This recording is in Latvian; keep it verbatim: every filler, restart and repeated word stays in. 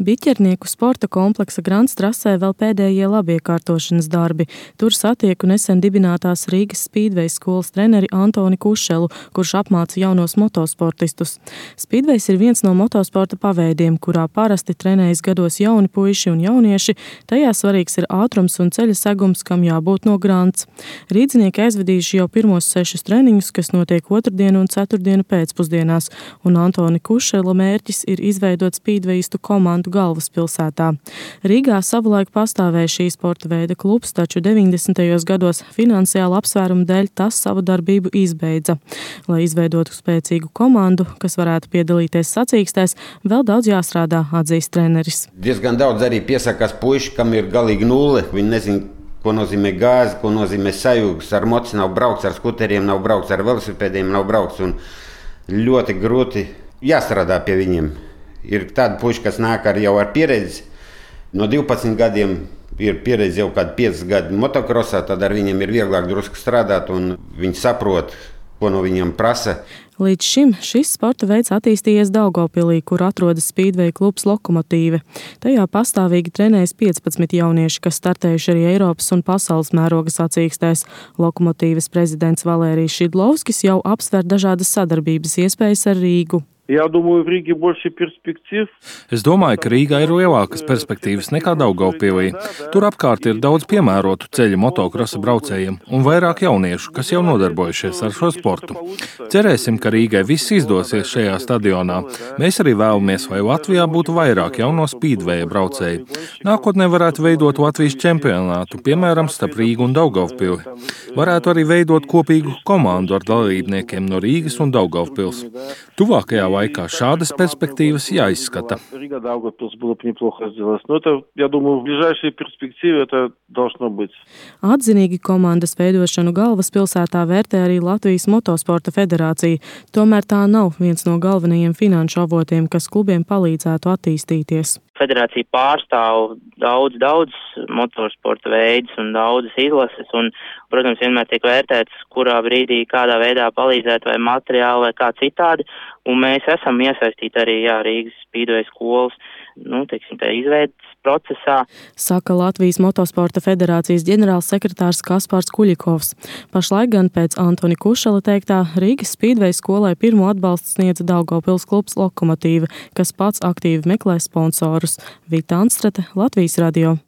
Biķernieku sporta kompleksa Grants trasē vēl pēdējie labiekārtošanas darbi. Tur satieku nesen dibinātās Rīgas Spīdvejs skolas treneri Antoni Kušelu, kurš apmāca jaunos motosportistus. Spīdvejs ir viens no motosporta paveidiem, kurā parasti trenējas gados jauni puiši un jaunieši. Tajā svarīgs ir ātrums un ceļa segums, kam jābūt no Grants. Rīdzinieki aizvedījuši jau pirmos sešus treniņus, kas notiek otrdienu un ceturtdienu pēcpusdienās, un Antoni Kušela mērķis ir izveidot spīdvejistu komandu galvaspilsētā. Rīgā savulaik pastāvēja šī sporta veida klubs, taču deviņdesmitajos gados finansiāla apsvērumu dēļ tas savu darbību izbeidza. Lai izveidotu spēcīgu komandu, kas varētu piedalīties sacīkstēs, vēl daudz jāstrādā, atzīst treneris. Diezgan daudz arī piesakās puiši, kam ir galīgi nulle. Viņi nezin, ko nozīmē gāzi, ko nozīmē sajūgas. Ar moci nav braukts, ar skuteriem nav braukts, ar velosipēdiem nav braukts. Un ļoti grūti jāstrādā pie viņiem. Ir tādi puiši, kas nāk ar jau ar pieredzi. No divpadsmit gadiem ir pieredze jau kādi pieci gadi motokrosā, tad ar viņiem ir vieglāk drusku strādāt un viņi saprot, ko no viņiem prasa. Līdz šim šis sporta veids attīstījies Daugavpilī, kur atrodas spīdveja klubs Lokomotīve. Tajā pastāvīgi trenējas piecpadsmit jaunieši, kas startējuši arī Eiropas un pasaules mēroga sacīkstēs. Lokomotīves prezidents Valērijs Šidlovskis jau apsver dažādas sadarbības iespējas ar Rīgu. Я думаю, в Риге больше перспектив. Es domāju, ka Rīgā ir lielākas perspektīvas nekā Daugavpilī. Tur apkārt ir daudz piemērotu ceļu motokrosa braucējiem un vairāk jauniešu, kas jau nodarbojušies ar šo sportu. Cerēsim, ka Rīgai viss izdosies šajā stadionā. Mēs arī vēlamies, lai Latvijā būtu vairāk jauno spīdveja braucēju. Nākotnē varētu veidot Latvijas čempionātu, piemēram, starp Rīgu un Daugavpili. Varētu arī veidot kopīgu komandu ar dalībniekiem no Rīgas un Daugavpils. Tuvākajā laikā šādas perspektīvas jāizskata. Atzinīgi komandas veidošanu galvaspilsētā vērtē arī Latvijas motosporta federācija. Tomēr tā nav viens no galvenajiem finanšu avotiem, kas klubiem palīdzētu attīstīties. Federācija pārstāv daudz, daudz motosporta veidus un daudzas izlases, un, protams, vienmēr tiek vērtēts, kurā brīdī, kādā veidā palīdzēt vai materiāli vai kā citādi, un mēs esam iesaistīti arī, jā, Rīgas Spīdveja skolas, nu, teiksim, tā izveidas procesā. Saka Latvijas motosporta federācijas ģenerālsekretārs Kaspars Kuļikovs. Pašlaik gan pēc Antoni Kušela teiktā Rīgas Spīdveja skolai pirmo atbalstu sniedza Daugavpils klubs Lokomotīve, kas pats aktīvi meklē sponsorus. Vita Anstrate, Latvijas radio.